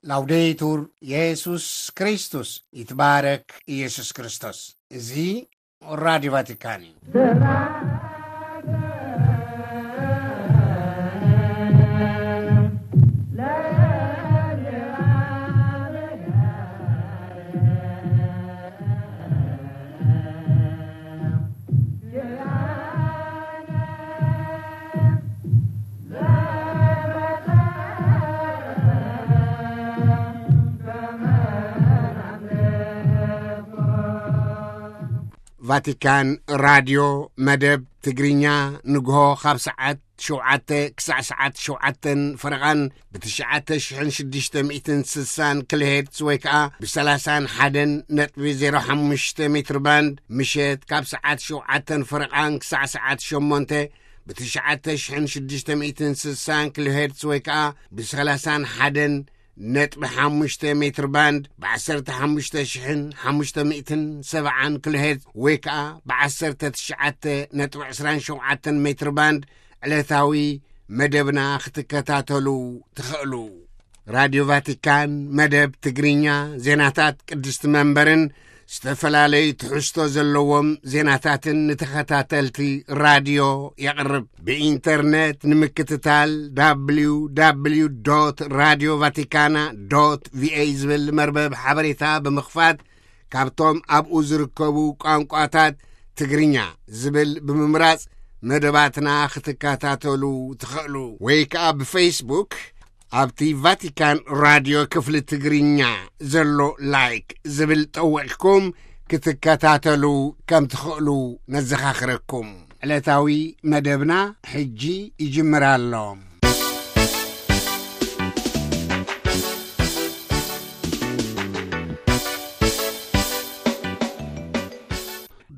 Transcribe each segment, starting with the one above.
ላውዴቱር የሱስ ክርስቶስ፣ ይትባረክ ኢየሱስ ክርስቶስ። እዚ ራዲዮ ቫቲካን እዩ። ቫቲካን ራድዮ መደብ ትግርኛ፣ ንግሆ ካብ ሰዓት ሸውዓተ ክሳዕ ሰዓት ሸውዓተን ፈረቓን ብ ትሽዓተ ሽሕን ሽዱሽተ ሚእትን ስሳን ኪሎሄርትዝ ወይ ከኣ ብ ሰላሳን ሓደን ነጥቢ ዜሮ ሓሙሽተ ሜትር ባንድ፣ ምሸት ካብ ሰዓት ሸውዓተን ፈረቓን ክሳዕ ሰዓት ሸሞንተ ብ ትሽዓተ ሽሕን ሽዱሽተ ሚእትን ስሳን ኪሎሄርትዝ ወይ ከኣ ብ ሰላሳን ሓደን ነጥቢ ሓሙሽተ ሜትር ባንድ፣ ብ ዓሰርተ ሓሙሽተ ሽሕን ሓሙሽተ ሚእትን ሰብዓን ኪሎሄርትዝ ወይ ከኣ ብ ዓሰርተ ትሽዓተ ነጥቢ ዕስራን ሸውዓተን ሜትር ባንድ ዕለታዊ መደብና ክትከታተሉ ትኽእሉ። ራድዮ ቫቲካን መደብ ትግርኛ፣ ዜናታት ቅድስቲ መንበርን ዝተፈላለዩ ትሕዝቶ ዘለዎም ዜናታትን ንተኸታተልቲ ራድዮ የቕርብ። ብኢንተርነት ንምክትታል፣ www radio vaticana va ዝብል መርበብ ሓበሬታ ብምኽፋት፣ ካብቶም ኣብኡ ዝርከቡ ቋንቋታት ትግርኛ ዝብል ብምምራጽ መደባትና ክትከታተሉ ትኽእሉ። ወይ ከኣ ብፌስቡክ ኣብቲ ቫቲካን ራድዮ ክፍሊ ትግርኛ ዘሎ ላይክ ዝብል ጠዊቕኩም ክትከታተሉ ከም ትኽእሉ ነዘኻኽረኩም። ዕለታዊ መደብና ሕጂ ይጅምር ኣሎ።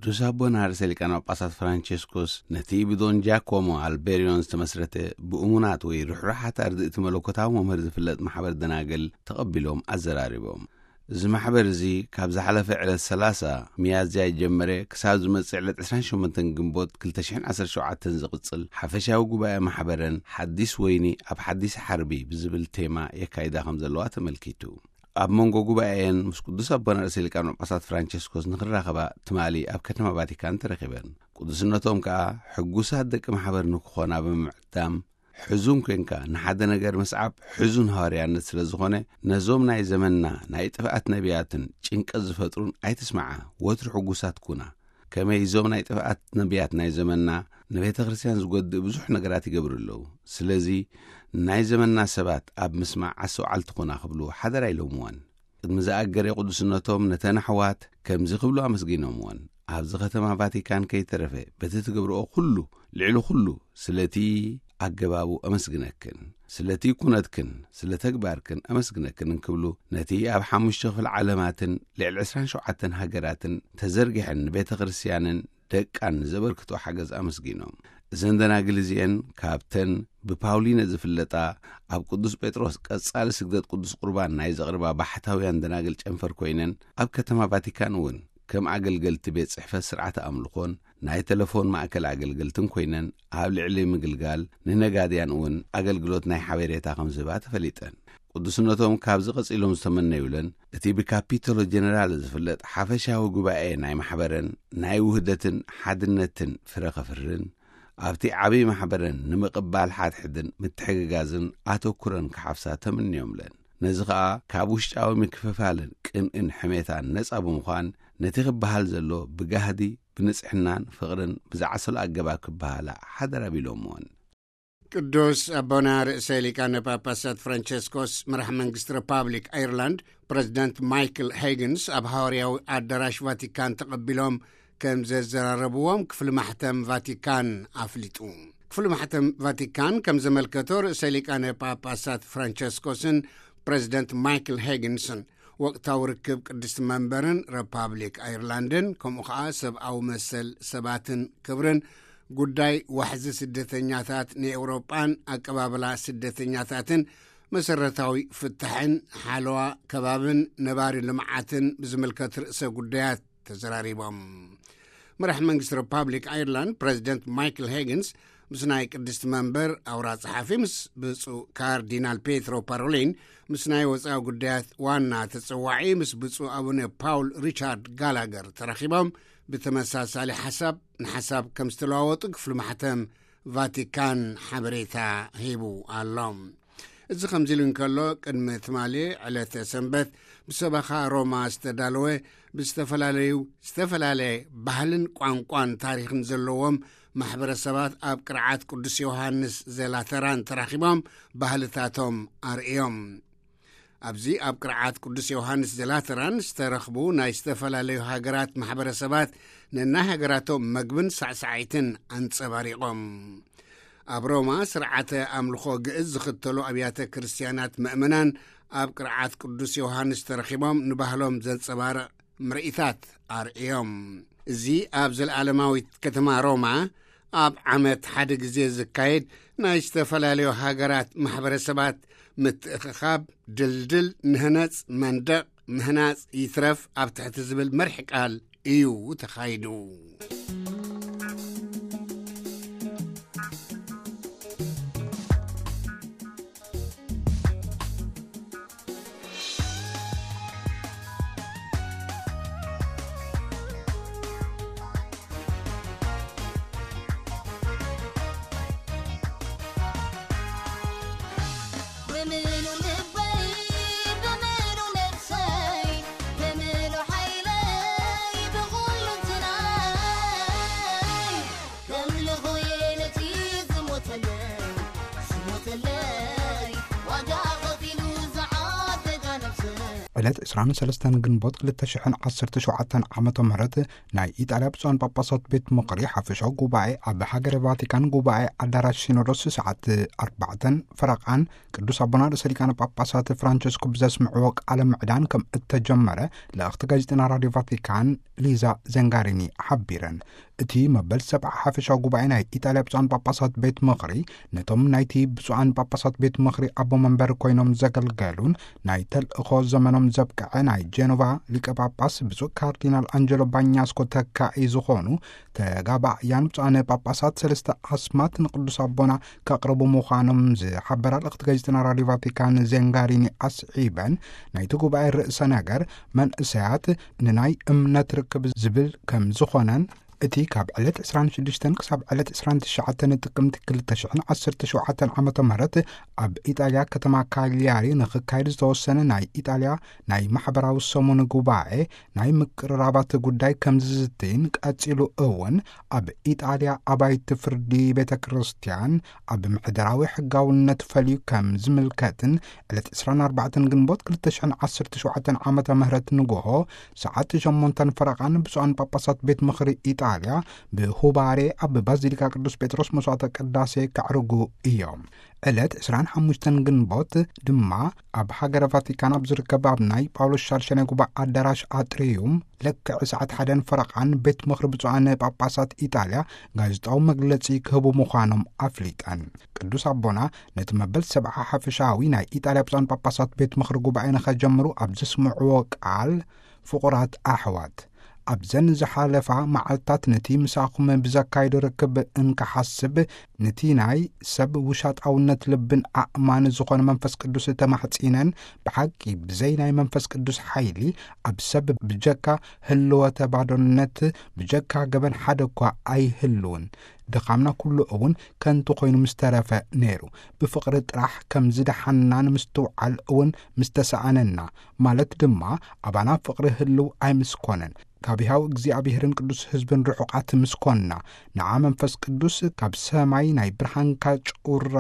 ቅዱስ ኣቦና ርእሰ ሊቃነ ጳጳሳት ፍራንቸስኮስ ነቲ ብዶን ጃኮሞ ኣልቤሪዮን ዝተመስረተ ብእሙናት ወይ ርሕሩሓት ኣርድእቲ መለኮታዊ መምህር ዝፍለጥ ማሕበር ደናግል ተቐቢሎም ኣዘራሪቦም። እዚ ማሕበር እዚ ካብ ዝሓለፈ ዕለት ሰላሳ ሚያዝያ ይጀመረ ክሳብ ዝመጽእ ዕለት ዕስራን ሸሞንተን ግንቦት ክልተ ሽሕን ዓሰርተ ሸውዓተን ዝቕጽል ሓፈሻዊ ጉባኤ ማሕበረን ሓዲስ ወይኒ ኣብ ሓዲስ ሓርቢ ብዝብል ቴማ የካይዳ ከም ዘለዋ ተመልኪቱ። ኣብ መንጎ ጉባኤን ምስ ቅዱስ ኣቦና ርእሰ ሊቃነ ጳጳሳት ፍራንቸስኮስ ንክራኸባ ትማሊ ኣብ ከተማ ቫቲካን ተረኺበን። ቅዱስነቶም ከኣ ሕጉሳት ደቂ ማሕበር ንክኾና ብምዕዳም፣ ሕዙን ኮንካ ንሓደ ነገር ምስዓብ ሕዙን ሃዋርያነት ስለ ዝኾነ፣ ነዞም ናይ ዘመንና ናይ ጥፍኣት ነቢያትን ጭንቀት ዝፈጥሩን ኣይትስማዓ፣ ወትሩ ሕጉሳት ኩና። ከመይ እዞም ናይ ጥፍኣት ነቢያት ናይ ዘመንና ንቤተ ክርስቲያን ዝጎድእ ብዙሕ ነገራት ይገብሩ ኣለዉ። ስለዚ ናይ ዘመንና ሰባት ኣብ ምስማዕ ኣስተውዓልቲ ኩና ክብሉ ሓደራ ኢሎምወን። ቅድሚ ዝኣገረ ቅዱስነቶም ነተን ኣሕዋት ከምዚ ክብሉ ኣመስጊኖምወን። ኣብዚ ከተማ ቫቲካን ከይተረፈ በቲ ትገብርኦ ኩሉ፣ ልዕሊ ኩሉ ስለቲ ኣገባቡ ኣመስግነክን፣ ስለቲ ኩነትክን፣ ስለ ተግባርክን ኣመስግነክን እንክብሉ ነቲ ኣብ ሓሙሽተ ክፍለ ዓለማትን ልዕሊ ዕስራን ሸውዓተን ሃገራትን ተዘርጊሐን ንቤተ ክርስቲያንን ደቃን ንዘበርክቶ ሓገዝ ኣመስጊኖም። እዘን ደናግል እዚኤን ካብተን ብፓውሊነ ዝፍለጣ ኣብ ቅዱስ ጴጥሮስ ቀጻሊ ስግደት ቅዱስ ቁርባን ናይ ዘቕርባ ባሕታውያን ደናግል ጨንፈር ኮይነን ኣብ ከተማ ቫቲካን እውን ከም ኣገልገልቲ ቤት ጽሕፈት ስርዓተ ኣምልኾን ናይ ተለፎን ማእከል ኣገልገልትን ኮይነን ኣብ ልዕሊ ምግልጋል ንነጋድያን እውን ኣገልግሎት ናይ ሓበሬታ ከም ዝህባ ተፈሊጠን። ቅዱስነቶም ካብዚ ቀጺሎም ዝተመነዩለን እቲ ብካፒቶሎ ጀነራል ዝፍለጥ ሓፈሻዊ ጉባኤ ናይ ማሕበረን ናይ ውህደትን ሓድነትን ፍረ ከፍርን ኣብቲ ዓብዪ ማሕበረን ንምቕባል ሓድሕድን ምትሕግጋዝን ኣተኩረን ክሓፍሳ ተምንዮምለን። ነዚ ኸኣ ካብ ውሽጣዊ ምክፍፋልን ቅንእን ሕሜታን ነጻ ብምዃን ነቲ ክበሃል ዘሎ ብጋህዲ ብንጽሕናን ፍቕርን ብዝዓሰሎ ኣገባብ ክበሃላ ሓደራ ቢሎምወን። ቅዱስ ኣቦና ርእሰ ሊቃነ ጳጳሳት ፍራንቸስኮስ መራሕ መንግስቲ ሪፓብሊክ ኣየርላንድ ፕረዚደንት ማይክል ሄግንስ ኣብ ሃዋርያዊ ኣዳራሽ ቫቲካን ተቐቢሎም ከም ዘዘራረብዎም ክፍሊ ማሕተም ቫቲካን ኣፍሊጡ። ክፍሊ ማሕተም ቫቲካን ከም ዘመልከቶ ርእሰ ሊቃነ ጳጳሳት ፍራንቸስኮስን ፕረዚደንት ማይክል ሄግንስን ወቅታዊ ርክብ ቅድስቲ መንበርን ሪፓብሊክ ኣየርላንድን ከምኡ ኸዓ ሰብኣዊ መሰል ሰባትን ክብርን ጉዳይ ዋሕዚ ስደተኛታት ንኤውሮጳን ኣቀባብላ ስደተኛታትን መሰረታዊ ፍታሕን ሓለዋ ከባብን ነባሪ ልምዓትን ብዝምልከት ርእሰ ጉዳያት ተዘራሪቦም። መራሕ መንግስቲ ሪፓብሊክ ኣየርላንድ ፕረዚደንት ማይክል ሄግንስ ምስ ናይ ቅድስቲ መንበር ኣውራ ጸሓፊ ምስ ብፁዕ ካርዲናል ፔትሮ ፓሮሊን፣ ምስ ናይ ወጻኢ ጉዳያት ዋና ተጸዋዒ ምስ ብፁዕ ኣቡነ ፓውል ሪቻርድ ጋላገር ተራኺቦም ብተመሳሳሊ ሓሳብ ንሓሳብ ከም ዝተለዋወጡ ክፍሊ ማሕተም ቫቲካን ሓበሬታ ሂቡ ኣሎ። እዚ ከምዚ ኢሉ እንከሎ፣ ቅድሚ ትማሊ ዕለተ ሰንበት ብሰበኻ ሮማ ዝተዳለወ ብዝተፈላለዩ ዝተፈላለየ ባህልን ቋንቋን ታሪኽን ዘለዎም ማሕበረሰባት ኣብ ቅርዓት ቅዱስ ዮሃንስ ዘላተራን ተራኺቦም ባህልታቶም ኣርእዮም። ኣብዚ ኣብ ቅርዓት ቅዱስ ዮሃንስ ዘላተራን ዝተረኽቡ ናይ ዝተፈላለዩ ሃገራት ማሕበረሰባት ነናይ ሃገራቶም መግብን ሳዕሳዒትን ኣንጸባሪቖም። ኣብ ሮማ ስርዓተ ኣምልኾ ግእዝ ዝኽተሉ ኣብያተ ክርስትያናት መእመናን ኣብ ቅርዓት ቅዱስ ዮሃንስ ተረኺቦም ንባህሎም ዘንጸባርቕ ምርኢታት ኣርእዮም። እዚ ኣብ ዘለዓለማዊት ከተማ ሮማ ኣብ ዓመት ሓደ ግዜ ዝካየድ ናይ ዝተፈላለዩ ሃገራት ማሕበረሰባት ምትእኽኻብ ድልድል ንህነጽ መንደቕ ምህናጽ ይትረፍ ኣብ ትሕቲ ዝብል መርሒ ቃል እዩ ተኻይዱ። ብምሉ ልበይ፣ ብምሉ ነፍሰይ፣ ብምሉ ሓይለይ፣ ብኹሉ እንትናይ፣ ከምልኾ እየ ነቲ ዝሞተለይ፣ ዝሞተለይ፣ ዋጋ ከፊሉ ዝዓደጋ ነፍሰይ። ዕለት ዕስራን ሰለስተን ግንቦት ክልተ ሽሕን ዓሰርተ ሸውዓተን ዓመተ ምህረት ናይ ኢጣልያ ብፁዓን ጳጳሳት ቤት ምኽሪ ሓፈሻዊ ጉባኤ ኣብ ሃገረ ቫቲካን ጉባኤ ኣዳራሽ ሲኖዶስ ሰዓት ኣርባዕተን ፈረቓን ቅዱስ ኣቦና ርእሰ ሊቃነ ጳጳሳት ፍራንቸስኮ ብዘስምዕዎ ቃለ ምዕዳን ከም እተጀመረ ልእኽቲ ጋዜጠና ራድዮ ቫቲካን ሊዛ ዘንጋሪኒ ሓቢረን። እቲ መበል ሰብዓ ሓፈሻዊ ጉባኤ ናይ ኢጣልያ ብፁዓን ጳጳሳት ቤት ምኽሪ ነቶም ናይቲ ብፁዓን ጳጳሳት ቤት ምኽሪ ኣቦ መንበር ኮይኖም ዘገልገሉን ናይ ተልእኾ ዘመኖም ዘብቅዐ ናይ ጀኖቫ ሊቀ ጳጳስ ብፁዕ ካርዲናል ኣንጀሎ ባኛስኮ ተካኢ ዝኾኑ ተጋባእያን ብፁዓን ጳጳሳት ሰለስተ ኣስማት ንቅዱስ ኣቦና ከቕርቡ ምዃኖም ዝሓበራ ልእኽቲ ጋዜጠና ራድዮ ቫቲካን ዘንጋሪኒ ኣስዒበን፣ ናይቲ ጉባኤ ርእሰ ነገር መንእሰያት ንናይ እምነት ርክብ ዝብል ከም ዝኾነን፣ እቲ ካብ ዕለት ዕስራን ሽዱሽተን ክሳብ ዕለት ዕስራን ትሽዓተን ጥቅምቲ ክልተ ሽሕን ዓሰርተ ሸውዓተን ዓመተ ምህረት ኣብ ኢጣልያ ከተማ ካሊያሪ ንኽካየድ ዝተወሰነ ናይ ኢጣልያ ናይ ማሕበራዊ ሰሙን ጉባኤ ናይ ምቅርራባት ጉዳይ ከም ዝዝትይን፣ ቀጺሉ እውን ኣብ ኢጣልያ ኣባይቲ ፍርዲ ቤተ ክርስቲያን ኣብ ምሕደራዊ ሕጋውነት ፈልዩ ከም ዝምልከትን፣ ዕለት ዕስራን ኣርባዕተን ግንቦት ክልተ ሽሕን ዓሰርተ ሸውዓተን ዓመተ ምህረት ንጎሆ ሰዓት ሸሞንተን ፈረቓን ብፁዓን ጳጳሳት ቤት ምኽሪ ኢጣልያ ብሁባሬ ኣብ ባዚሊካ ቅዱስ ጴጥሮስ መስዋዕተ ቅዳሴ ከዕርጉ እዮም። ዕለት ዕስራን ሓሙሽተን ግንቦት ድማ ኣብ ሃገረ ቫቲካን ኣብ ዝርከብ ኣብ ናይ ጳውሎስ ሻድሻይ ጉባኤ ኣዳራሽ ኣጥሪዩም ልክዕ ሰዓት ሓደን ፈረቓን ቤት ምኽሪ ብፁዓን ጳጳሳት ኢጣልያ ጋዜጣዊ መግለጺ ክህቡ ምዃኖም ኣፍሊጠን። ቅዱስ ኣቦና ነቲ መበል ሰብዓ ሓፈሻዊ ናይ ኢጣልያ ብፁዓን ጳጳሳት ቤት ምኽሪ ጉባኤ ንኸጀምሩ ኣብ ዘስምዕዎ ቃል፣ ፍቑራት ኣሕዋት፣ ኣብዘን ዝሓለፋ መዓልታት ነቲ ምሳኹም ብዘካይዶ ርክብ እንክሓስብ፣ ነቲ ናይ ሰብ ውሻጣውነት ልብን ኣእማን ዝኾነ መንፈስ ቅዱስ ተማሕጺነን፣ ብሓቂ ብዘይ ናይ መንፈስ ቅዱስ ሓይሊ ኣብ ሰብ ብጀካ ህልወተ ባዶነት፣ ብጀካ ገበን ሓደ እኳ ኣይህልውን። ድኻምና ኩሉ እውን ከንቱ ኮይኑ ምስ ተረፈ ነይሩ። ብፍቕሪ ጥራሕ ከም ዝደሓንና ንምስትውዓል እውን ምስ ተሰኣነና፣ ማለት ድማ ኣባና ፍቕሪ ህልው ኣይምስኮነን። ካብ ሕያው እግዚኣብሔርን ቅዱስ ህዝብን ርሑቓት ምስ ኮንና፣ ንዓ መንፈስ ቅዱስ ካብ ሰማይ ናይ ብርሃንካ ጩራ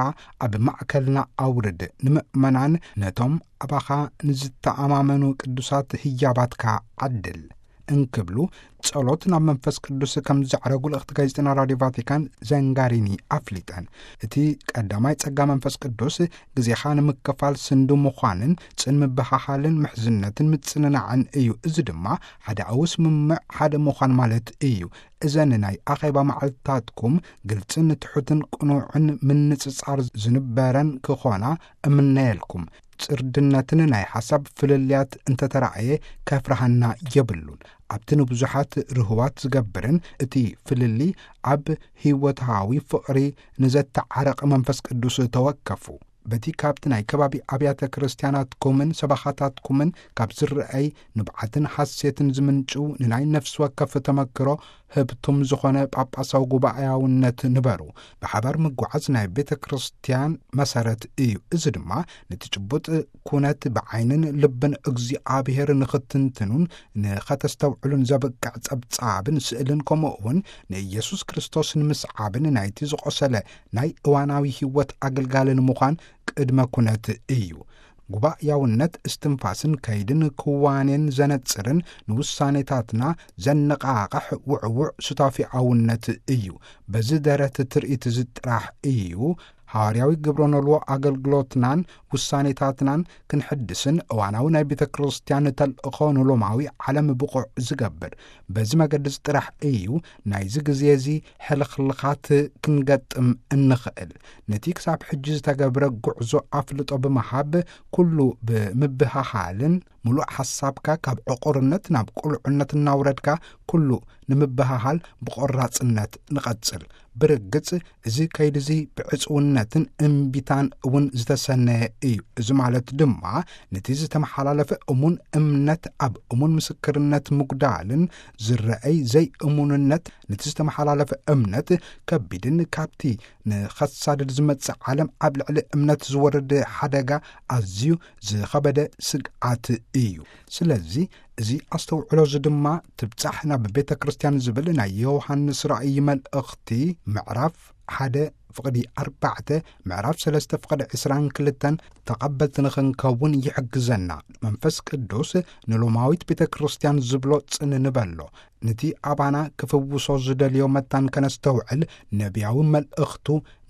ኣብ ማእከልና ኣውርድ። ንምእመናን ነቶም ኣባኻ ንዝተኣማመኑ ቅዱሳት ህያባትካ ዓድል እንክብሉ ጸሎት ናብ መንፈስ ቅዱስ ከም ዘዕረጉ ልእኽቲ ጋዜጠና ራድዮ ቫቲካን ዘንጋሪኒ ኣፍሊጠን። እቲ ቀዳማይ ጸጋ መንፈስ ቅዱስ ግዜኻ ንምክፋል ስንዱ ምዃንን ጽን ምብሃሃልን ምሕዝነትን ምጽንናዕን እዩ። እዚ ድማ ሓዳኣዊ ስምምዕ ሓደ ምዃን ማለት እዩ። እዘን ናይ ኣኼባ መዓልትታትኩም ግልጽን ትሑትን ቅኑዕን ምንጽጻር ዝንበረን ክኾና እምነየልኩም። ጽርድነትን ናይ ሓሳብ ፍልልያት እንተተራእየ ከፍርሃና የብሉን። ኣብቲ ንብዙሓት ርህዋት ዝገብርን እቲ ፍልልይ ኣብ ህይወታዊ ፍቕሪ ንዘተዓረቐ መንፈስ ቅዱስ ተወከፉ። በቲ ካብቲ ናይ ከባቢ ኣብያተ ክርስቲያናትኩምን ሰባኻታትኩምን ካብ ዝረአይ ንብዓትን ሓሴትን ዝምንጭው ንናይ ነፍሲ ወከፍ ተመክሮ ህብቱም ዝኾነ ጳጳሳዊ ጉባኤያውነት ንበሩ። ብሓባር ምጉዓዝ ናይ ቤተ ክርስቲያን መሰረት እዩ። እዚ ድማ ነቲ ጭቡጥ ኩነት ብዓይንን ልብን እግዚኣብሔር ንኽትንትኑን ንኸተስተውዕሉን ዘብቅዕ ጸብጻብን ስእልን ከምኡ እውን ንኢየሱስ ክርስቶስ ንምስዓብን ናይቲ ዝቖሰለ ናይ እዋናዊ ህይወት ኣገልጋሊ ንምዃን ቅድመ ኩነት እዩ። ጉባኤያውነት እስትንፋስን ከይድን ክዋኔን ዘነጽርን ንውሳኔታትና ዘነቓቕሕ ውዕዉዕ ሱታፊኣውነት እዩ። በዚ ደረት ትርኢት እዚ ጥራሕ እዩ። ሃዋርያዊ ግብረ ኖልዎ ኣገልግሎትናን ውሳኔታትናን ክንሕድስን እዋናዊ ናይ ቤተ ክርስቲያን ተልእኾ ንሎማዊ ዓለም ብቑዕ ዝገብር። በዚ መገዲ እዚ ጥራሕ እዩ ናይዚ ግዜ እዚ ሕልኽልኻት ክንገጥም እንኽእል። ነቲ ክሳብ ሕጂ ዝተገብረ ጉዕዞ ኣፍልጦ ብምሃብ ኩሉ ብምብህሃልን ምሉእ ሓሳብካ ካብ ዕቑርነት ናብ ቁልዕነት እናውረድካ ኩሉ ንምብህሃል ብቆራጽነት ንቐጽል። ብርግጽ እዚ ከይዲ እዚ ብዕጽውነትን እምቢታን እውን ዝተሰነየ እዩ። እዚ ማለት ድማ ነቲ ዝተመሓላለፈ እሙን እምነት ኣብ እሙን ምስክርነት ምጉዳልን ዝረአይ ዘይእሙንነት ነቲ ዝተመሓላለፈ እምነት ከቢድን ካብቲ ንኸሳድድ ዝመጽእ ዓለም ኣብ ልዕሊ እምነት ዝወርድ ሓደጋ ኣዝዩ ዝኸበደ ስግኣት እዩ። ስለዚ እዚ ኣስተውዕሎ እዚ ድማ ትብጻሕ ናብ ቤተ ክርስቲያን ዝብል ናይ ዮሃንስ ራእይ መልእኽቲ ምዕራፍ ሓደ ፍቕዲ ኣርባዕተ ምዕራፍ ሰለስተ ፍቕዲ ዕስራን ክልተን ተቐበልቲ ንኽንከውን ይሕግዘና። መንፈስ ቅዱስ ንሎማዊት ቤተ ክርስቲያን ዝብሎ ጽን ንበሎ። ነቲ ኣባና ክፍውሶ ዝደልዮ መታን ከነስተውዕል ነቢያዊ መልእኽቱ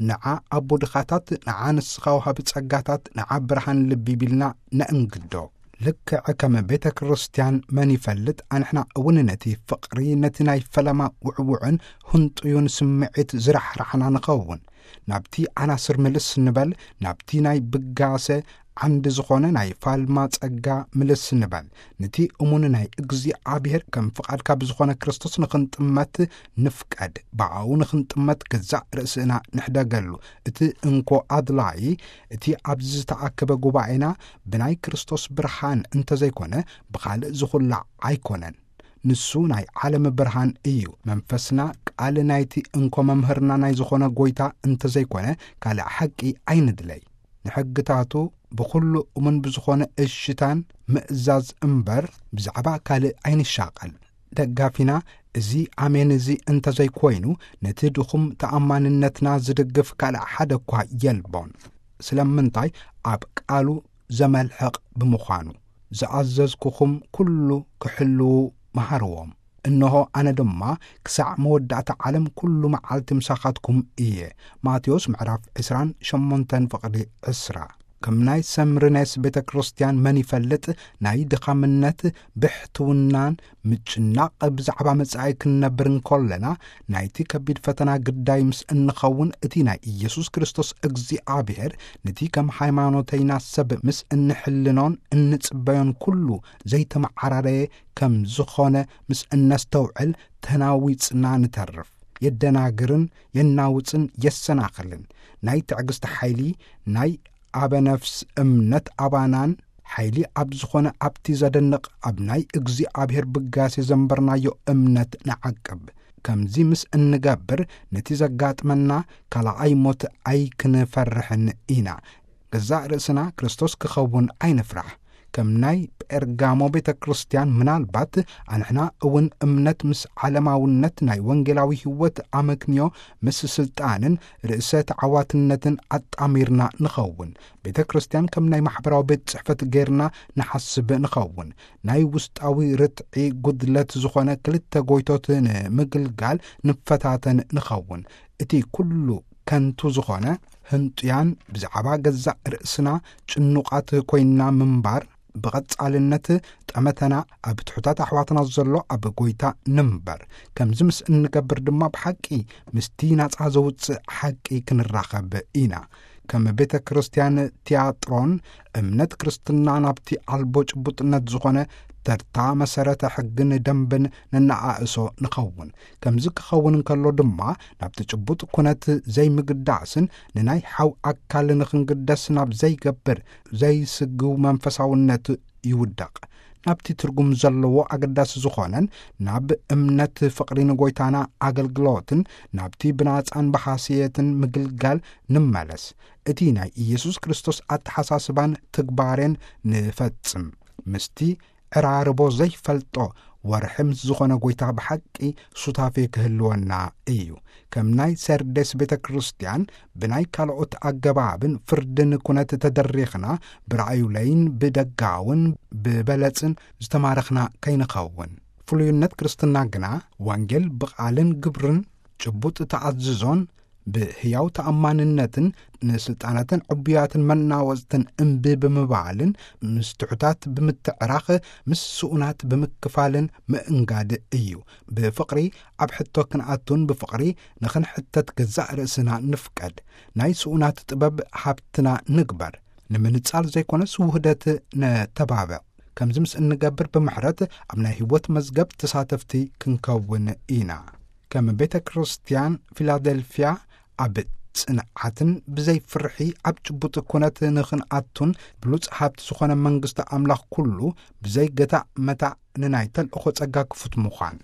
ንዓ ኣቦ ድኻታት፣ ንዓ ንስኻ ወሃቢ ጸጋታት፣ ንዓ ብርሃን ልቢ ቢልና ነእንግዶ። ልክዕ ከም ቤተ ክርስቲያን መን ይፈልጥ ኣንሕና እውን ነቲ ፍቕሪ ነቲ ናይ ፈለማ ውዕውዕን ህንጡዩን ስምዒት ዝራሕራሕና ንኸውን። ናብቲ ዓናስር ምልስ ንበል፣ ናብቲ ናይ ብጋሰ ዓንዲ ዝኾነ ናይ ፋልማ ጸጋ ምልስ ንበል። ነቲ እሙን ናይ እግዚኣብሔር ከም ፍቓድካ ብዝኾነ ክርስቶስ ንኽንጥመት ንፍቀድ። ብኣኡ ንኽንጥመት ገዛእ ርእስና ንሕደገሉ። እቲ እንኮ ኣድላይ እቲ ኣብዚ ዝተኣከበ ጉባኤና ብናይ ክርስቶስ ብርሃን እንተዘይኮነ ብኻልእ ዝኹላዕ ኣይኮነን። ንሱ ናይ ዓለም ብርሃን እዩ። መንፈስና ቃል ናይቲ እንኮ መምህርና ናይ ዝኾነ ጎይታ እንተዘይኮነ ካልእ ሓቂ ኣይንድለይ። ንሕግታቱ ብኹሉ እሙን ብዝኾነ እሽታን ምእዛዝ እምበር ብዛዕባ ካልእ ኣይንሻቐል። ደጋፊና እዚ ኣሜን እዚ እንተዘይኮይኑ ነቲ ድኹም ተኣማንነትና ዝድግፍ ካልእ ሓደ እኳ የልቦን። ስለምንታይ ኣብ ቃሉ ዘመልሕቕ ብምዃኑ። ዝኣዘዝኩኹም ኩሉ ክሕልዉ መሃርዎም። እንሆ ኣነ ድማ ክሳዕ መወዳእታ ዓለም ኩሉ መዓልቲ ምሳኻትኩም እየ። ማቴዎስ ምዕራፍ ዕስራን ሸሞንተን ፍቕዲ ዕስራ። ከም ናይ ሰምርኔስ ቤተ ክርስቲያን መን ይፈልጥ ናይ ድኻምነት ብሕትውናን ምጭናቕ ብዛዕባ መጻኢ ክንነብር እንከለና ናይቲ ከቢድ ፈተና ግዳይ ምስ እንኸውን እቲ ናይ ኢየሱስ ክርስቶስ እግዚኣብሔር ነቲ ከም ሃይማኖተይና ሰብ ምስ እንሕልኖን እንጽበዮን ኩሉ ዘይተመዓራረየ ከም ዝኾነ ምስ እነስተውዕል ተናዊጽና ንተርፍ። የደናግርን የናውጽን የሰናኽልን ናይ ትዕግስቲ ሓይሊ ናይ ኣበነፍስ እምነት ኣባናን ሓይሊ ኣብ ዝኾነ ኣብቲ ዘደንቕ ኣብ ናይ እግዚኣብሔር ብጋሴ ዘንበርናዮ እምነት ንዓቅብ። ከምዚ ምስ እንገብር ነቲ ዘጋጥመና ካልኣይ ሞት ኣይክንፈርሕን ኢና። ገዛእ ርእስና ክርስቶስ ክኸውን ኣይንፍራሕ። ከም ናይ ጴርጋሞ ቤተ ክርስቲያን ምናልባት ኣንሕና እውን እምነት ምስ ዓለማውነት ናይ ወንጌላዊ ሕይወት ኣመክንዮ ምስ ስልጣንን ርእሰ ተዓዋትነትን ኣጣሚርና ንኸውን። ቤተ ክርስቲያን ከም ናይ ማሕበራዊ ቤት ጽሕፈት ጌርና ንሓስብ ንኸውን። ናይ ውስጣዊ ርትዒ ጉድለት ዝኾነ ክልተ ጎይቶት ንምግልጋል ንፈታተን ንኸውን። እቲ ኩሉ ከንቱ ዝኾነ ህንጡያን ብዛዕባ ገዛእ ርእስና ጭኑቓት ኮይንና ምንባር ብቐጻልነት ጠመተና ኣብ ትሑታት ኣሕዋትና ዘሎ ኣብ ጎይታ ንንበር። ከምዚ ምስ እንገብር ድማ ብሓቂ ምስቲ ናጻ ዘውጽእ ሓቂ ክንራኸብ ኢና። ከም ቤተ ክርስቲያን ቲያጥሮን እምነት ክርስትና ናብቲ ኣልቦ ጭቡጥነት ዝኾነ ተርታ መሰረተ ሕግን ደንብን ነነኣእሶ ንኸውን። ከምዚ ክኸውን እንከሎ ድማ ናብቲ ጭቡጥ ኩነት ዘይምግዳስን ንናይ ሓው ኣካል ንኽንግደስ ናብ ዘይገብር ዘይስግው መንፈሳውነት ይውደቕ። ናብቲ ትርጉም ዘለዎ ኣገዳሲ ዝኾነን ናብ እምነት ፍቕሪ ንጎይታና ኣገልግሎትን ናብቲ ብናጻን ብሓስየትን ምግልጋል ንመለስ። እቲ ናይ ኢየሱስ ክርስቶስ ኣተሓሳስባን ትግባሬን ንፈጽም። ምስቲ ዕራርቦ ዘይፈልጦ ወርሒ ምስ ዝኾነ ጎይታ ብሓቂ ሱታፌ ክህልወና እዩ። ከም ናይ ሰርዴስ ቤተ ክርስቲያን ብናይ ካልኦት ኣገባብን ፍርድን ኩነት ተደሪኽና ብራእዩለይን ብደጋውን ብበለጽን ዝተማረኽና ከይንኸውን። ፍሉይነት ክርስትና ግና ወንጌል ብቓልን ግብርን ጭቡጥ ተኣዝዞን ብህያው ተኣማንነትን ንስልጣናትን ዕቡያትን መናወጽትን እምቢ ብምባልን ምስ ትሑታት ብምትዕራኽ ምስ ስኡናት ብምክፋልን ምእንጋድ እዩ። ብፍቕሪ ኣብ ሕቶ ክንኣቱን ብፍቕሪ ንኽንሕተት ገዛእ ርእስና ንፍቀድ። ናይ ስኡናት ጥበብ ሃብትና ንግበር። ንምንጻል ዘይኮነስ ውህደት ነተባብዕ። ከምዚ ምስ እንገብር ብምሕረት ኣብ ናይ ህይወት መዝገብ ተሳተፍቲ ክንከውን ኢና። ከም ቤተ ክርስቲያን ፊላደልፍያ ኣብ ጽንዓትን ብዘይ ፍርሒ ኣብ ጭቡጥ ኩነት ንኽንኣቱን ብሉጽ ሃብቲ ዝኾነ መንግስቲ ኣምላኽ ኩሉ ብዘይ ገታእ መታእ ንናይ ተልእኾ ጸጋ ክፉት ምዃን።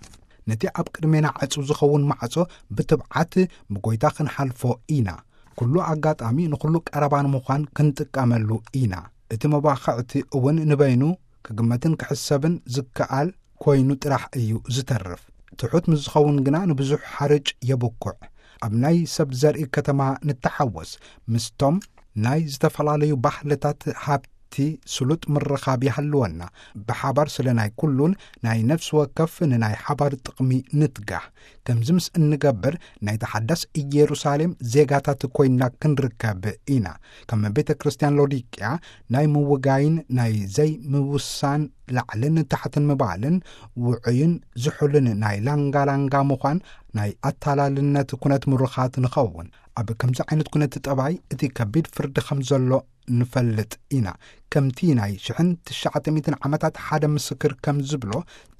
ነቲ ኣብ ቅድሜና ዕጹ ዝኸውን ማዕጾ ብትብዓት ብጎይታ ክንሓልፎ ኢና። ኩሉ ኣጋጣሚ ንኹሉ ቀረባ ንምዃን ክንጥቀመሉ ኢና። እቲ መባኽዕቲ እውን ንበይኑ ክግመትን ክሕሰብን ዝከኣል ኮይኑ ጥራሕ እዩ ዝተርፍ። ትሑት ምስ ዝኸውን ግና ንብዙሕ ሓርጭ የብኩዕ። ኣብ ናይ ሰብ ዘርኢ ከተማ ንተሓወስ። ምስቶም ናይ ዝተፈላለዩ ባህልታት ሃብቲ ስሉጥ ምርኻብ ይሃልወና። ብሓባር ስለ ናይ ኩሉን ናይ ነፍሲ ወከፍ ንናይ ሓባር ጥቕሚ ንትጋህ። ከምዚ ምስ እንገብር ናይ ተሓዳስ ኢየሩሳሌም ዜጋታት ኮይንና ክንርከብ ኢና። ከም ቤተ ክርስቲያን ሎዲቅያ ናይ ምውጋይን ናይ ዘይምውሳን ላዕልን ታሕትን ምባልን ውዑይን ዝሑልን ናይ ላንጋ ላንጋ ምዃን ናይ ኣታላልነት ኩነት ምሩኻት ንኸውን። ኣብ ከምዚ ዓይነት ኩነት ጠባይ እቲ ከቢድ ፍርዲ ከም ዘሎ ንፈልጥ ኢና። ከምቲ ናይ ሽሕን ትሽዓተ ሚእትን ዓመታት ሓደ ምስክር ከም ዝብሎ፣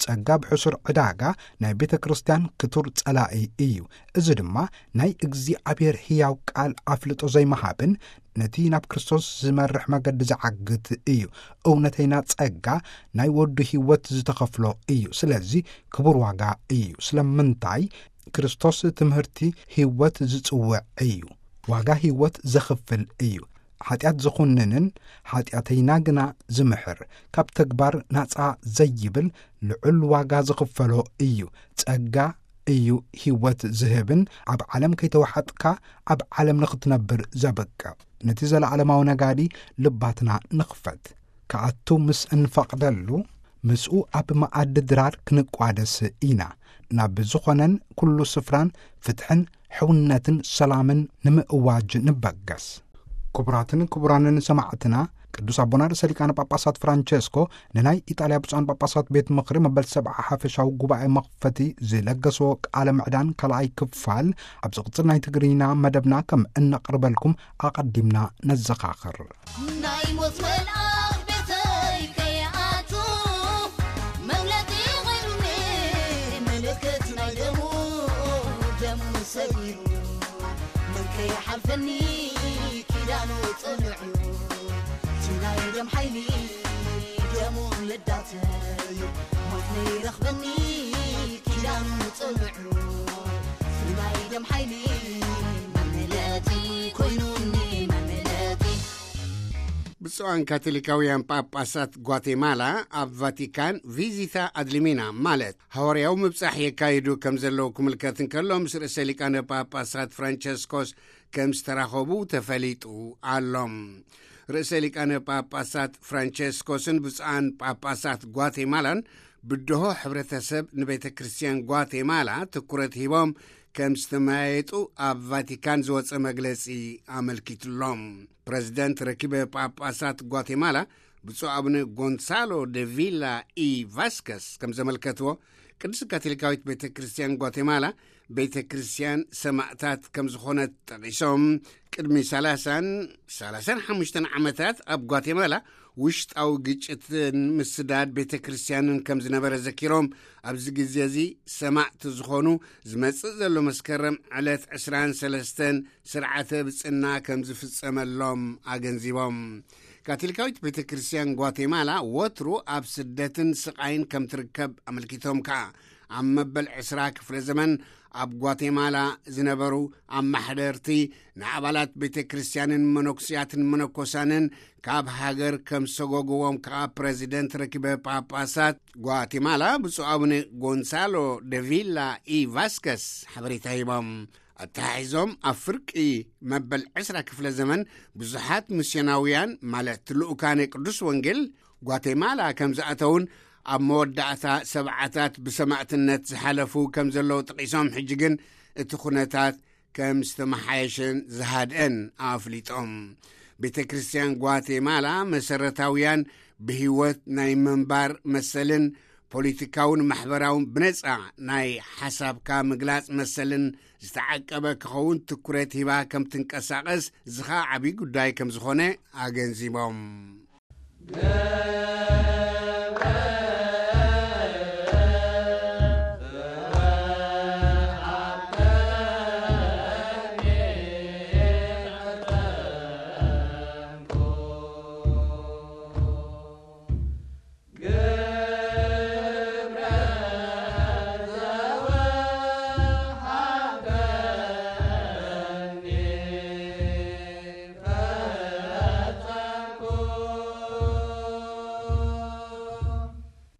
ጸጋ ብሕሱር ዕዳጋ ናይ ቤተ ክርስቲያን ክቱር ጸላኢ እዩ። እዚ ድማ ናይ እግዚኣብሔር ህያው ቃል ኣፍልጦ ዘይምሃብን ነቲ ናብ ክርስቶስ ዝመርሕ መገዲ ዝዓግት እዩ። እውነተይና ጸጋ ናይ ወዱ ህይወት ዝተኸፍሎ እዩ። ስለዚ ክቡር ዋጋ እዩ። ስለምንታይ? ክርስቶስ ትምህርቲ ህይወት ዝጽውዕ እዩ። ዋጋ ህይወት ዘኽፍል እዩ። ሓጢኣት ዝኹንንን ሓጢኣተይና ግና ዝምሕር፣ ካብ ተግባር ናጻ ዘይብል ልዑል ዋጋ ዝኽፈሎ እዩ። ጸጋ እዩ ህይወት ዝህብን ኣብ ዓለም ከይተዋሓጥካ ኣብ ዓለም ንኽትነብር ዘብቅዕ። ነቲ ዘለዓለማዊ ነጋዲ ልባትና ንኽፈት። ክኣቱ ምስ እንፈቕደሉ፣ ምስኡ ኣብ መኣዲ ድራር ክንቋደስ ኢና። ናብ ዝኾነን ኩሉ ስፍራን ፍትሕን ሕውነትን ሰላምን ንምእዋጅ ንበገስ። ክቡራትን ክቡራንን ሰማዕትና፣ ቅዱስ ኣቦና ርእሰ ሊቃነ ጳጳሳት ፍራንቸስኮ ንናይ ኢጣልያ ብፁዓን ጳጳሳት ቤት ምኽሪ መበል ሰብዓ ሓፈሻዊ ጉባኤ መኽፈቲ ዝለገስዎ ቃለ ምዕዳን ካልኣይ ክፋል ኣብ ዝቕጽል ናይ ትግርኛ መደብና ከም እነቕርበልኩም ኣቐዲምና ነዘኻኽር። ናይ ሞት መልኣኽ ቤተይ ከይኣቱ፣ መምለጢ ቐርኒ ምልክት ናይ ደሙ፣ ደሙ ሰጊሩ መን ከይሓልፈኒ ኪዳኑ ጽኑዕ እዩ። እቲ ናይ ደም ሓይሊ ደሙ ልዳተይ፣ ሞት ነይረኽበኒ ኪዳኑ ጽኑዕ እዩ። እቲ ናይ ደም ሓይሊ መምለጢ ኮይኑኒ መምለጢ። ብፁዓን ካቶሊካውያን ጳጳሳት ጓቴማላ ኣብ ቫቲካን ቪዚታ ኣድሊሚና ማለት ሃዋርያዊ ምብጻሕ የካይዱ ከም ዘለዉ ክምልከት እንከሎ፣ ምስ ርእሰ ሊቃነ ጳጳሳት ፍራንቸስኮስ ከም ዝተራኸቡ ተፈሊጡ ኣሎ። ርእሰ ሊቃነ ጳጳሳት ፍራንቸስኮስን ብፁዓን ጳጳሳት ጓቴማላን ብድሆ ሕብረተሰብ ንቤተ ክርስቲያን ጓቴማላ ትኩረት ሂቦም ከም ዝተመያየጡ ኣብ ቫቲካን ዝወጸ መግለጺ ኣመልኪቱሎም። ፕረዚደንት ረኪበ ጳጳሳት ጓቴማላ ብፁዕ ኣቡነ ጎንሳሎ ደ ቪላ ኢ ቫስከስ ከም ዘመልከትዎ፣ ቅድስት ካቶሊካዊት ቤተ ክርስቲያን ጓቴማላ ቤተ ክርስቲያን ሰማእታት ከም ዝኾነት ጠቒሶም፣ ቅድሚ ሰላሳን ሰላሳን ሓሙሽተን ዓመታት ኣብ ጓቴማላ ውሽጣዊ ግጭትን ምስዳድ ቤተ ክርስቲያንን ከም ዝነበረ ዘኪሮም፣ ኣብዚ ግዜ እዚ ሰማእቲ ዝኾኑ ዝመጽእ ዘሎ መስከረም ዕለት ዕስራን ሰለስተን ስርዓተ ብጽና ከም ዝፍጸመሎም ኣገንዚቦም። ካቶሊካዊት ቤተ ክርስቲያን ጓቴማላ ወትሩ ኣብ ስደትን ስቓይን ከም ትርከብ ኣመልኪቶም ከኣ፣ ኣብ መበል ዕስራ ክፍለ ዘመን ኣብ ጓቴማላ ዝነበሩ ኣማሕደርቲ ንኣባላት ቤተ ክርስቲያንን መነኩስያትን መነኮሳንን ካብ ሃገር ከም ሰጎግዎም ከኣ ፕረዚደንት ረኪበ ጳጳሳት ጓቴማላ ብፁዕ ኣቡነ ጎንሳሎ ደቪላ ኢ ቫስከስ ሓበሬታ ሂቦም። ኣተሓሒዞም፣ ኣብ ፍርቂ መበል ዕስራ ክፍለ ዘመን ብዙሓት ሚስዮናውያን፣ ማለት ልኡካነ ቅዱስ ወንጌል፣ ጓቴማላ ከም ዝኣተውን ኣብ መወዳእታ ሰብዓታት ብሰማእትነት ዝሓለፉ ከም ዘለዉ ጠቒሶም፣ ሕጂ ግን እቲ ኩነታት ከም ዝተመሓየሸን ዝሃድአን ኣፍሊጦም። ቤተ ክርስቲያን ጓቴማላ መሰረታውያን ብህይወት ናይ ምንባር መሰልን ፖለቲካውን ማሕበራውን ብነጻ ናይ ሓሳብካ ምግላጽ መሰልን ዝተዓቀበ ክኸውን ትኩረት ሂባ ከም ትንቀሳቐስ፣ እዚ ኸኣ ዓብዪ ጉዳይ ከም ዝኾነ ኣገንዚቦም።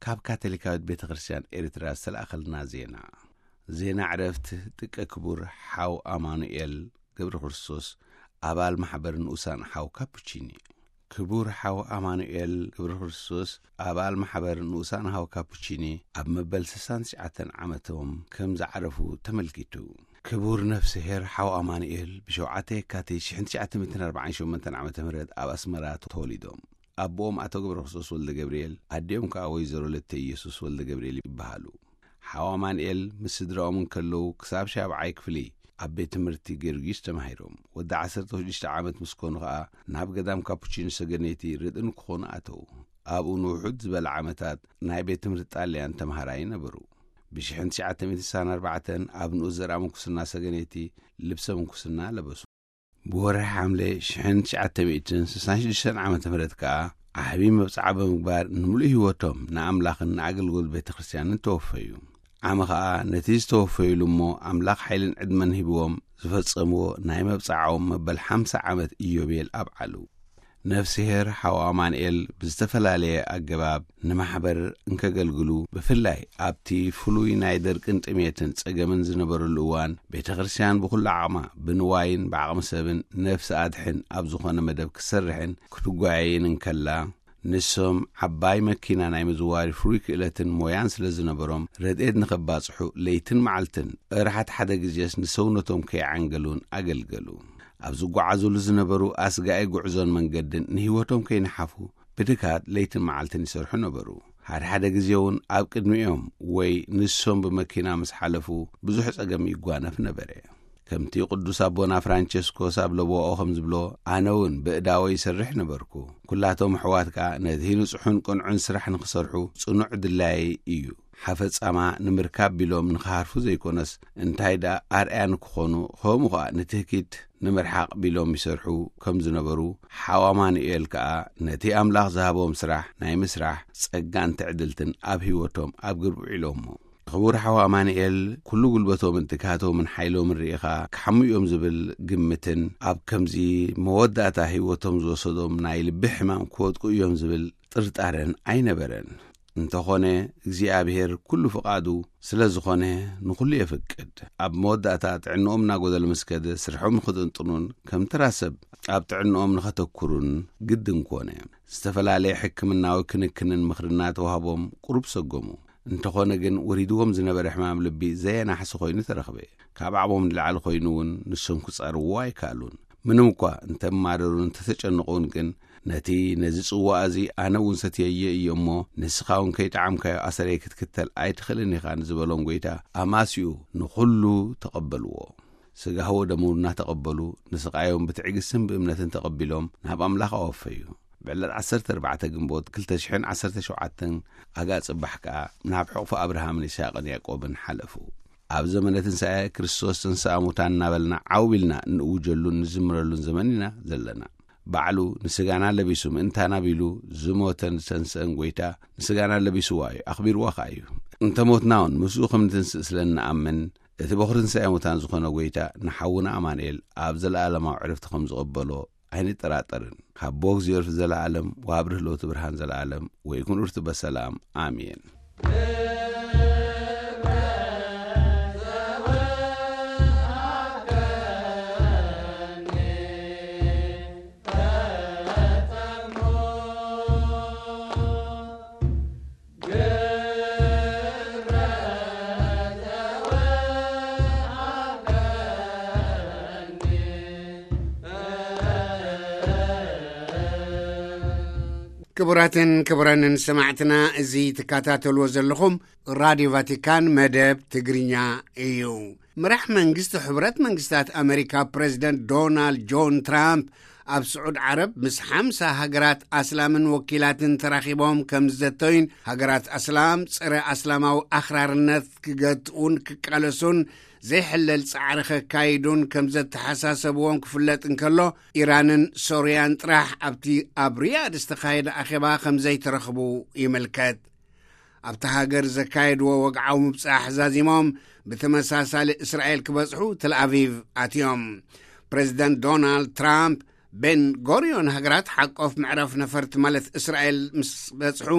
ካብ ካቶሊካዊት ቤተ ክርስቲያን ኤርትራ ዝተላእኸልና ዜና። ዜና ዕረፍት ጥቀ ክቡር ሓው ኣማኑኤል ገብረ ክርስቶስ፣ ኣባል ማሕበር ንኡሳን ሓው ካፑቺኒ። ክቡር ሓው ኣማኑኤል ገብረ ክርስቶስ፣ ኣባል ማሕበር ንኡሳን ሓው ካፑቺኒ፣ ኣብ መበል ስሳን ትሽዓተን ዓመቶም ከም ዝዓረፉ ተመልኪቱ። ክቡር ነፍስሄር ሓው ኣማኑኤል ብሸውዓተ የካቲት ሽሕን ትሽዓተ ሚእትን ኣርባዓን ሸሞንተን ዓመተ ምህረት ኣብ ኣስመራ ተወሊዶም። ኣቦኦም ኣቶ ገብረ ክርስቶስ ወልደ ገብርኤል፣ ኣዲኦም ከኣ ወይዘሮ ለተ ኢየሱስ ወልደ ገብርኤል ይበሃሉ። ሓው ኣማኑኤል ምስ ስድራኦም እንከለዉ ክሳብ ሻብዓይ ክፍሊ ኣብ ቤት ትምህርቲ ጊዮርጊስ ተማሂሮም። ወዲ ዓሰርተ ሽዱሽተ ዓመት ምስ ኮኑ ከኣ ናብ ገዳም ካፑቺኖ ሰገነይቲ ርድእ ንክኾኑ ኣተዉ። ኣብኡ ንውሑድ ዝበለ ዓመታት ናይ ቤት ትምህርቲ ጣልያን ተምሃራይ ነበሩ። ብሽሕን ትሽዓተ ሚእትን ስሳን ኣርባዕተን ኣብ ንኡስ ዘርኣ ምንኩስና ሰገነይቲ ልብሰ ምንኩስና ለበሱ። ብወርሒ ሓምለ ሽሕን ትሽዓተ ሚእትን ስሳን ሽዱሽተን ዓመተ ምህረት ከኣ ዓቢ መብጽዓ ብምግባር ንምሉእ ህይወቶም ንኣምላኽን ንኣገልግሎት ቤተ ክርስቲያንን ተወፈዩ። ዓሚ ኸኣ ነቲ ዝተወፈዩሉ እሞ ኣምላኽ ሓይልን ዕድመን ሂብዎም ዝፈጸምዎ ናይ መብጽዓኦም መበል ሓምሳ ዓመት ኢዮቤል ኣብዓሉ። ነፍስሄር ሓው ኣማኑኤል ብዝተፈላለየ ኣገባብ ንማሕበር እንከገልግሉ፣ ብፍላይ ኣብቲ ፍሉይ ናይ ደርቅን ጥሜትን ጸገምን ዝነበረሉ እዋን፣ ቤተ ክርስቲያን ብኹሉ ዓቕማ ብንዋይን ብዓቕሚ ሰብን ነፍሲ ኣድሕን ኣብ ዝኾነ መደብ ክትሰርሕን ክትጓየይን እንከላ፣ ንሶም ዓባይ መኪና ናይ ምዝዋር ፍሩይ ክእለትን ሞያን ስለ ዝነበሮም፣ ረድኤት ንኸባጽሑ ለይትን መዓልትን እርሓት ሓደ ግዜስ ንሰውነቶም ከይዓንገሉን ኣገልገሉ። ኣብ ዝጓዓዙሉ ዝነበሩ ኣስጋኢ ጉዕዞን መንገድን ንህይወቶም ከይነሓፉ ብድካት ለይትን መዓልትን ይሰርሑ ነበሩ። ሓደ ሓደ ግዜ እውን ኣብ ቅድሚኦም ወይ ንሶም ብመኪና ምስ ሓለፉ ብዙሕ ጸገም ይጓነፍ ነበረ። ከምቲ ቅዱስ ኣቦና ፍራንቸስኮስ ኣብ ለቦኦ ከም ዝብሎ፣ ኣነ እውን ብእዳወ ይሰርሕ ነበርኩ። ኩላቶም ኣሕዋት ከኣ ነቲ ንጹሑን ቅንዑን ስራሕ ንኽሰርሑ ጽኑዕ ድላየይ እዩ። ሓፈጻማ ንምርካብ ቢሎም ንኽሃርፉ ዘይኮነስ፣ እንታይ ደኣ ኣርኣያ ንክኾኑ፣ ከምኡ ኸኣ ንትህኪት ንምርሓቕ ቢሎም ይሰርሑ ከም ዝነበሩ፣ ሓው ኣማኑኤል ከኣ ነቲ ኣምላኽ ዝሃቦም ስራሕ ናይ ምስራሕ ጸጋን ትዕድልትን ኣብ ህይወቶም ኣብ ግብሪ ውዒሎሞ። ክቡር ሓው ኣማኑኤል፣ ኩሉ ጉልበቶምን ትግሃቶምን ሓይሎምን ርኢኻ ክሓሙ እዮም ዝብል ግምትን ኣብ ከምዚ መወዳእታ ህይወቶም ዝወሰዶም ናይ ልቢ ሕማም ክወድቁ እዮም ዝብል ጥርጣረን ኣይነበረን። እንተኾነ እግዚኣብሔር ኩሉ ፍቓዱ ስለ ዝኾነ ንኹሉ የፍቅድ። ኣብ መወዳእታ ጥዕንኦም እናጎደለ ምስ ከደ ስርሖም ንኽጥንጥኑን ከም ተራ ሰብ ኣብ ጥዕንኦም ንኸተኩሩን ግድን ኮነ። ዝተፈላለየ ሕክምናዊ ክንክንን ምኽርን እናተዋህቦም ቁሩብ ሰጎሙ። እንተኾነ ግን ወሪድዎም ዝነበረ ሕማም ልቢ ዘየናሕሲ ኮይኑ ተረኽበ። ካብ ዓቕሞም ንላዕሊ ኮይኑ እውን ንሶም ክጻርዎ ኣይከኣሉን። ምንም እኳ እንተማረሩን እንተተጨነቑን ግን ነቲ ነዚ ጽዋእ እዚ ኣነ እውን ሰትየዮ እየ እሞ፣ ንስኻ እውን ከይጠዓምካዮ ኣሰረይ ክትክተል ኣይትኽእልን ኢኻ ንዝበሎም ጐይታ ኣማስዩ ንኹሉ ተቐበልዎ። ስጋሁ ወደሙ እናተቐበሉ፣ ንስቓዮም ብትዕግስትን ብእምነትን ተቐቢሎም ናብ ኣምላኽ ኣወፈዩ። ብዕለት ዓሰርተ ኣርባዕተ ግንቦት ክልተ ሽሕን ዓሰርተ ሸውዓተን ኣጋ ጽባሕ ከኣ ናብ ሕቑፊ ኣብርሃምን ይስሐቅን ያዕቆብን ሓለፉ። ኣብ ዘመነ ትንሳኤ ክርስቶስ ተንሥአ እሙታን እናበልና ዓው ኢልና እንእውጀሉን ንዝምረሉን ዘመን ኢና ዘለና። ባዕሉ ንስጋና ለቢሱ ምእንታና ቢሉ ዝሞተን ዝተንስአን ጐይታ ንስጋና ለቢስዋ እዩ፣ ኣኽቢርዋ ኸኣ እዩ። እንተ ሞትና እውን ምስኡ ከም ንትንስእ ስለ እንኣምን፣ እቲ በኹሪ ትንሳኤ ሙታን ዝኾነ ጐይታ ንሓውና ኣማኑኤል ኣብ ዘለኣለማዊ ዕረፍቲ ከም ዝቕበሎ ኣይንጠራጠርን። ሃቦ እግዚኣብሔር ዘለኣለም ወሃብ ርህሎት ብርሃን ዘለኣለም ወይኩን ርቱ በሰላም። ኣሜን። ክቡራትን ክቡራንን ሰማዕትና፣ እዚ ትከታተልዎ ዘለኹም ራድዮ ቫቲካን መደብ ትግርኛ እዩ። መራሕ መንግስቲ ሕብረት መንግስታት ኣመሪካ ፕሬዚደንት ዶናልድ ጆን ትራምፕ ኣብ ስዑድ ዓረብ ምስ ሓምሳ ሃገራት ኣስላምን ወኪላትን ተራኺቦም ከም ዝዘተዩን ሃገራት ኣስላም ጸረ ኣስላማዊ ኣኽራርነት ክገትኡን ክቃለሱን ዘይሕለል ጻዕሪ ከካይዱን ከም ዘተሓሳሰብዎም ክፍለጥ እንከሎ፣ ኢራንን ሶርያን ጥራሕ ኣብቲ ኣብ ሪያድ ዝተኻየደ ኣኼባ ከም ዘይተረኽቡ ይምልከት። ኣብታ ሃገር ዘካየድዎ ወግዓዊ ምብጻሕ ዛዚሞም ብተመሳሳሊ እስራኤል ክበጽሑ ተልኣቪቭ ኣትዮም። ፕሬዚደንት ዶናልድ ትራምፕ ቤን ጎሪዮን ሃገራት ሓቆፍ መዕረፍ ነፈርቲ ማለት እስራኤል ምስ በጽሑ፣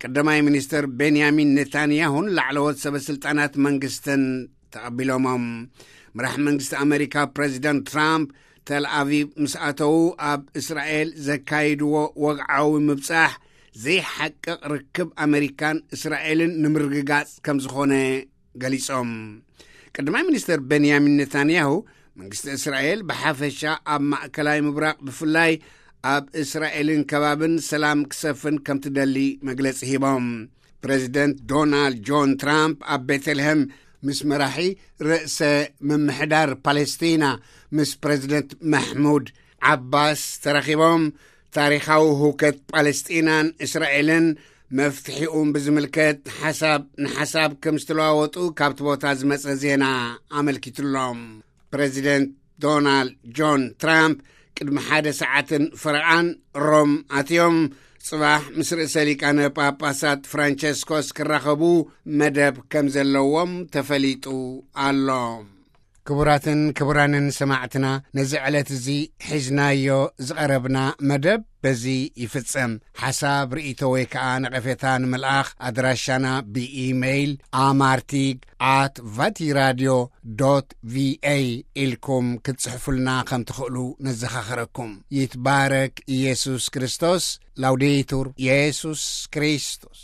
ቀዳማይ ሚኒስትር ቤንያሚን ኔታንያሁን ላዕለዎት ሰበ ስልጣናት መንግስትን ተቐቢሎሞም። መራሕ መንግስቲ ኣመሪካ ፕሬዚደንት ትራምፕ ተልኣቪቭ ምስ ኣተዉ፣ ኣብ እስራኤል ዘካይድዎ ወግዓዊ ምብጻሕ ዘይሓቅቕ ርክብ ኣመሪካን እስራኤልን ንምርግጋጽ ከም ዝኾነ ገሊጾም። ቀዳማይ ሚኒስትር ቤንያሚን ኔታንያሁ፣ መንግስቲ እስራኤል ብሓፈሻ ኣብ ማእከላይ ምብራቕ ብፍላይ ኣብ እስራኤልን ከባብን ሰላም ክሰፍን ከም ትደሊ መግለጺ ሂቦም። ፕሬዚደንት ዶናልድ ጆን ትራምፕ ኣብ ቤተልሔም ምስ መራሒ ርእሰ ምምሕዳር ፓለስቲና ምስ ፕሬዚደንት ማሕሙድ ዓባስ ተራኺቦም፣ ታሪኻዊ ህውከት ፓለስጢናን እስራኤልን መፍትሒኡን ብዝምልከት ሓሳብ ንሓሳብ ከም ዝተለዋወጡ ካብቲ ቦታ ዝመጸ ዜና ኣመልኪቱሎም። ፕሬዚደንት ዶናልድ ጆን ትራምፕ ቅድሚ ሓደ ሰዓትን ፈረቓን ሮም ኣትዮም፣ ጽባሕ ምስ ርእሰ ሊቃነ ጳጳሳት ፍራንቸስኮስ ክራኸቡ መደብ ከም ዘለዎም ተፈሊጡ ኣሎ። ክቡራትን ክቡራንን ሰማዕትና፣ ነዚ ዕለት እዚ ሒዝናዮ ዝቐረብና መደብ በዚ ይፍጸም። ሓሳብ፣ ርእይቶ ወይ ከኣ ነቐፌታ ንምልኣኽ ኣድራሻና ብኢሜይል ኣማርቲግ ኣት ቫቲራድዮ ዶት ቪኤ ኢልኩም ክትጽሕፉልና ከም ትኽእሉ ነዘኻኽረኩም። ይትባረክ ኢየሱስ ክርስቶስ። ላውዴቱር ኢየሱስ ክርስቶስ።